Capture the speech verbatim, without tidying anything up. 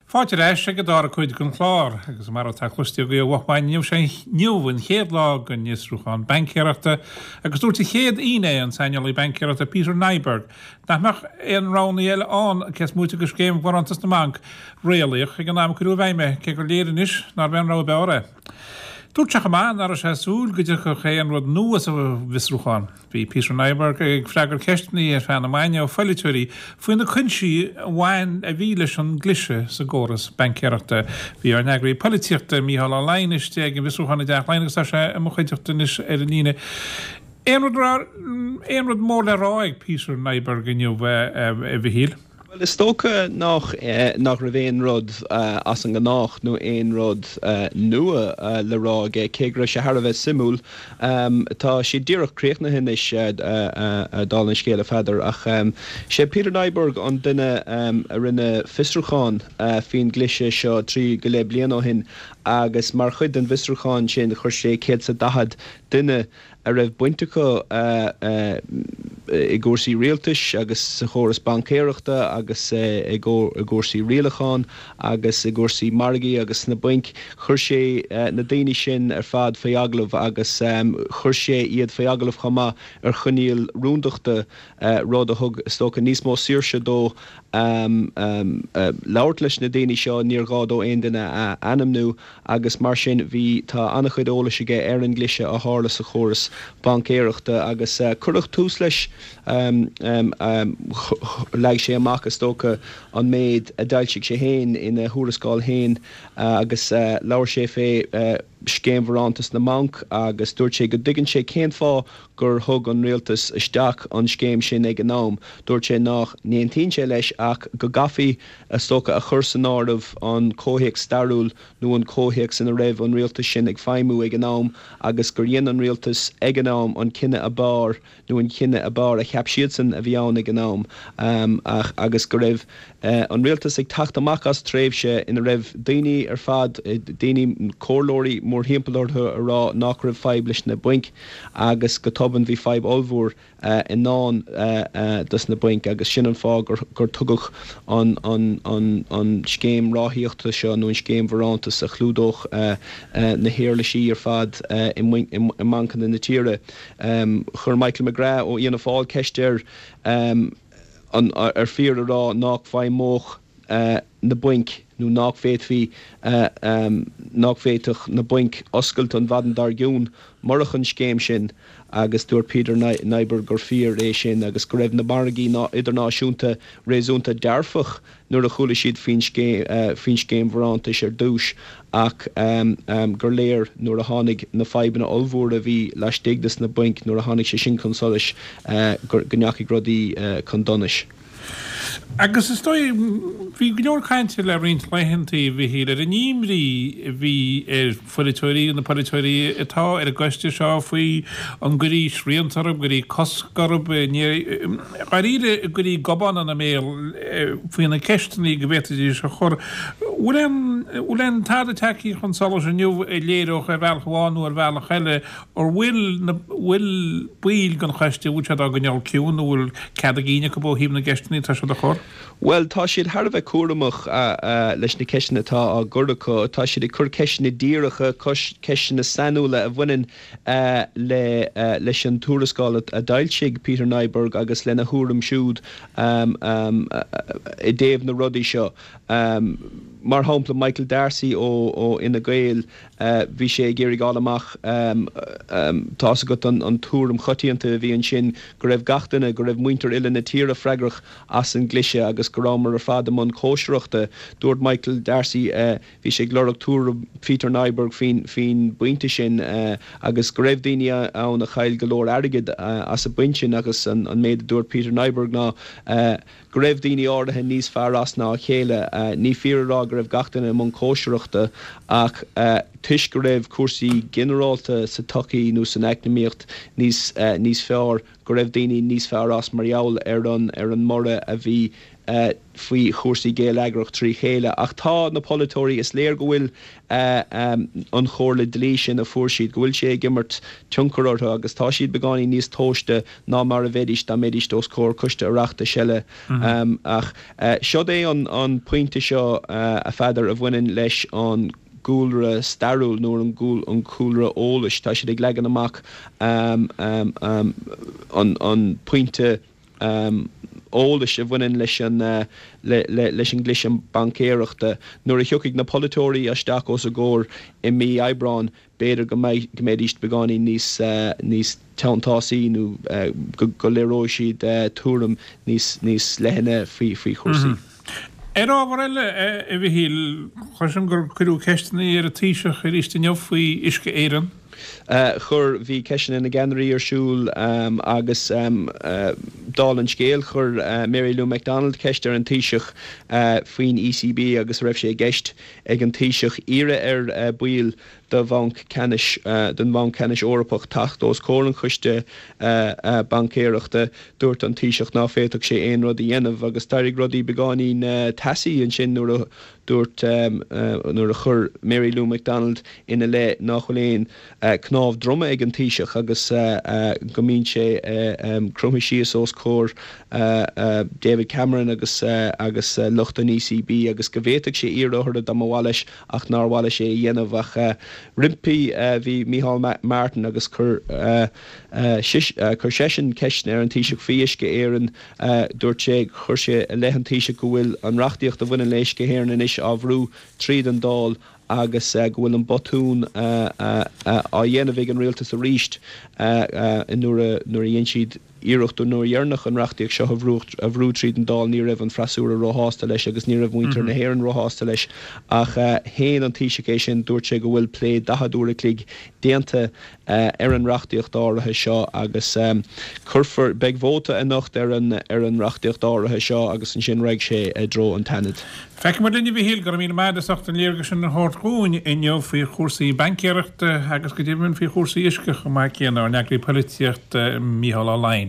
Fáilte ar ais ag an dara cuid den chlár, agus mar atá cloiste agaibh ó mhaidin inniu sé inniu an chéad lá den fhiosrúchán baincéireachta agus dúirt an chéad fhinné an saineolaí baincéireachta Peter Nyberg nach mbeadh aon roghanna eile ann cés móite de scéim bharántas na mbanc réalaíoch ag an am a cuireadh i bhfeidhm é, cé gur léir anois nárbh é an rogha ab fhearr é. Dúirt sé chomh maith nach raibh sé ag súil go dtiocfadh aon rud nua sa bhfiosrúchán. Bhí Peter Nyberg ag freagairt ceisteanna ar feadh na maidine ó pholaiteoirí faoi na cúinsí a bhain a bhí leis an gcliseadh sa gcóras baincéireachta. Bhí ár n-eagraí polaitíochta Mícheál Ó Laighin istigh ag an bhfiosrúchán i dTeach Laighean agus tá sé i mo chuideachta anois ar an líne. Aon rud aon rud mór le rá ag Peter Nyberg inniu a Mhichíl? Well is dócha nach nach raibh aon rud as an ngnách nó aon rud nua le rá aige cé go raibh sé thar a bheith suimiúil. Tá sé díreach críochnaithe anois dála an scéil a Pheadair ach sé Peter Nyberg an duine a rinne fiosrúchán faoin gcliseadh seo trí go leith bliain ó shin agus mar chuid den bhfiosrúchán sin chuir sé céad is daichead duine a raibh baint acu i gcúrsaí rialtais agus sa chóras baincéireachta agus i gcúrsaí rialacháin agus i gcúrsaí margaí agus sna bainc. Chuir sé na daoine sin ar fad faoi agallamh agus chuir sé iad faoi agallamh chomh maith ar choinníoll rúndachta rud a thug is dócha níos mó saoirse dó labhairt leis na daoine seo níor ghá dó aon duine a ainmniú agus mar sin bhí tá an-chuid eolais aige ar an gcliseadh a tharla sa chóras baincéireachta agus cuireadh tús leis leag sé amach is dócha an méid a d'fhoilsigh sé féin ina thuarascáil féin agus labhair sé fé scéim bharántas na mbanc agus dúirt sé go dtuigeann sé cén fáth gur thug an rialtas isteach an scéim sin ag an am. Dúirt sé nach n-aontaíonn sé leis ach go gcaithfí is dócha a chur san áireamh an comhthéacs stairiúil nó an comhthéacs ina raibh an rialtas sin ag feidhmiú ag an am agus gur dhein an rialtas ag an am an cinneadh ab fhearr nó an cinneadh ab fhearr a cheap siadsan a bhí ann ag an am um, ach, agus go raibh uh, an rialtas ag teacht amach as tréimhse ina raibh daoine ar fad daoine comhairleoirí mórthimpeall orthu a rá nach raibh fadhb leis na bainc agus go tobann bhí fadhb ollmhór uh, i ndán uh, uh, dos na bainc agus sin an fáth gur, gur tugadh an, an, an, an scéim ráthaíochta seo nó an scéim bharántas a chlúdódh uh, uh, na huirlisí ar fad uh, i, i, i mbancanna na tíre. Um, chuir Michael McGrath ó Fhianna Fáil ceist air um, an, ar fíor a rá nach bhfeidhmeodh uh, na bainc nó nach bhféadfaí uh, um, nach bhféadfadh na bainc oscailt an mhaidin dár gcionn murach an scéim sin agus dúirt Peter Nyberg gur fíor é sin agus go raibh na margaí ná idirnáisiúnta réasúnta dearfach nuair a chuala siad faoin faoin scéim bharántais ar dtús ach um, um, gur léir nuair a tháinig na fadhbanna ollmhóra a bhí laistigh des na bainc nuair a tháinig sé sin chun solais uh, go ndeachaigh rudaí uh, chun donais. Agus is dóigh bhí go leor cainte le roinnt laethanta bhí ar an imní a bhí ar pholaiteoirí na polaiteoirí atá ar an gcoiste seo faoi an gcuirfí srianta orthu gcuirfí cosc orthu dáiríre gcuirfí gobán ina mbéal faoi na ceisteanna go bhféadfaidís a chur. Bhfuil aon tada tagtha chun solais inniu a léireodh ar bhealach amháin nó ar bhealach eile ar bhfuil bhfuil baill den choiste bhfuil siad á gcoinneáil ciúin nó bhfuil cead a gcinn acu ó thaobh na gceisteanna atá siad a chur? Well tá siad thar a bheith cúramach uh, uh, leis na ceisteanna atá á gcur acu, tá siad ag cur ceisteanna díreacha ceisteanna sainiúla a bhaineann uh, le uh, leis an tuarascáil a d'fhoilsigh Peter Nyberg agus lena thuairim siúd um, um, uh, i dtaobh na rudaí seo. Um, mar shampla Michael Darcy ó ó Fhine Gael uh, bhí sé ag iarraidh fáil amach um, um, tá go an, an tuairim choitianta a bhí ansin go raibh gach duine go raibh muintir uile na tíre freagrach as an gcliseadh agus go rabhamar ar fad i mbun cóisireachta dúirt Michael Darcy uh, bhí sé ag lorg tuairim Peter Nyberg faoin faoin bpointe sin uh, agus go raibh daoine ann a chaill go leor airgid uh, as an bpointe sin agus an, an méid a dúirt Peter Nyberg ná uh, go raibh daoine áirithe níos fearr as ná a chéile uh, ní fíor a rá go raibh gach duine i mbun cóisireachta ach uh, toisc go raibh cúrsaí ginearálta sa tsochaí nó san eacnamaíocht níos uh, níos fearr go raibh daoine níos fearr as mar gheall ar an ar an mborradh a bhí faoi chúrsaí géilleagrach trí chéile. Ach tá na polaiteoirí, is léir go bhfuil an chomhairle dlí sin a fuair siad, go bhfuil sé ag imirt tionchar orthu agus tá siad beagáinín níos tomhaiste ná mar a bheidís dá mbeidís os comhair coiste Oireachtais eile. Ach seod é an pointe seo, a Pheadair, a bhaineann leis an gcúlra stairiúil nó an cúlra eolais. Tá siad ag leagan amach an pointe eolais a bhaineann leis an leis an gcliseadh baincéireachta. Nuair a thiocfaidh na polaiteoirí isteach os a gcomhair i mí Aibreáin, b'fhéidir go mbeidh go mbeidís beagáinín níos níos teanntásaí nó go léireoidh siad tuairim níos níos leithne faoi faoi chúrsaí. Ar ábhar eile, a Mhichíl, cloisim gur cuireadh ceisteanna ar an Taoiseach arís inniu faoi Uisce Éireann. Chuir, bhí ceisteanna na gceannairí ar siúl agus dála an scéil, chuir Mary Lou McDonald ceist ar an Taoiseach faoin ECB agus a raibh sé i gceist ag an Taoiseach iarraidh ar baill do Bhanc Ceannais don Bhanc Ceannais Eorpach teacht os comhair an Choiste Baincéireachta. Dúirt an Taoiseach ná féadfadh sé aon rud a dhéanamh agus d'éirigh rudaí beagáinín teasaí ansin nuair a dúirt nuair a chuir Mary Lou McDonald ina leith nach bhfuil aon cnámh droma ag an Taoiseach agus go mbíonn sé cromtha síos os comhair David Cameron agus agus lucht an ECB agus go bhféadfadh sé iarraidh orthu dá mba mhaith leis ach nár mhaith leis é a dhéanamh. Ach roimpi bhí Micheál Martin agus chuir chuir seisean ceisteanna ar an Taoiseach faoi Uisce Éireann. Dúirt sé, chuir sé i leith an Taoisigh go bhfuil an reachtaíocht a bhaineann le Uisce Éireann anois á bhrú tríd an Dáil agus go bhfuil an botún á dhéanamh ag an rialtas arís nuair a nuair a dhein siad iarracht an uair dheireanach an reachtaíocht seo a bhrú a bhrú tríd an Dáil ní raibh an freasúra róshásta leis agus ní raibh muintir na hÉireann róshásta leis ach shéan an Taoiseach é sin dúirt sé go bhfuil plé daichead uair a chloig déanta ar an reachtaíocht áirithe seo agus cuirfear beidh vóta anocht ar an ar an reachtaíocht áirithe seo agus ansin raghaidh sé i dtreo an tSeanaid. Feicfidh muid linn a Mhichíl, go raibh míle maith agat as ucht an léargas sin a thabhairt dhúinn inniu faoi chúrsaí baincéireachta agus go deimhin faoi chúrsaí uisce chomh maith céanna, ár n-eagraí polaitíochta Mícheál Ó Laighin.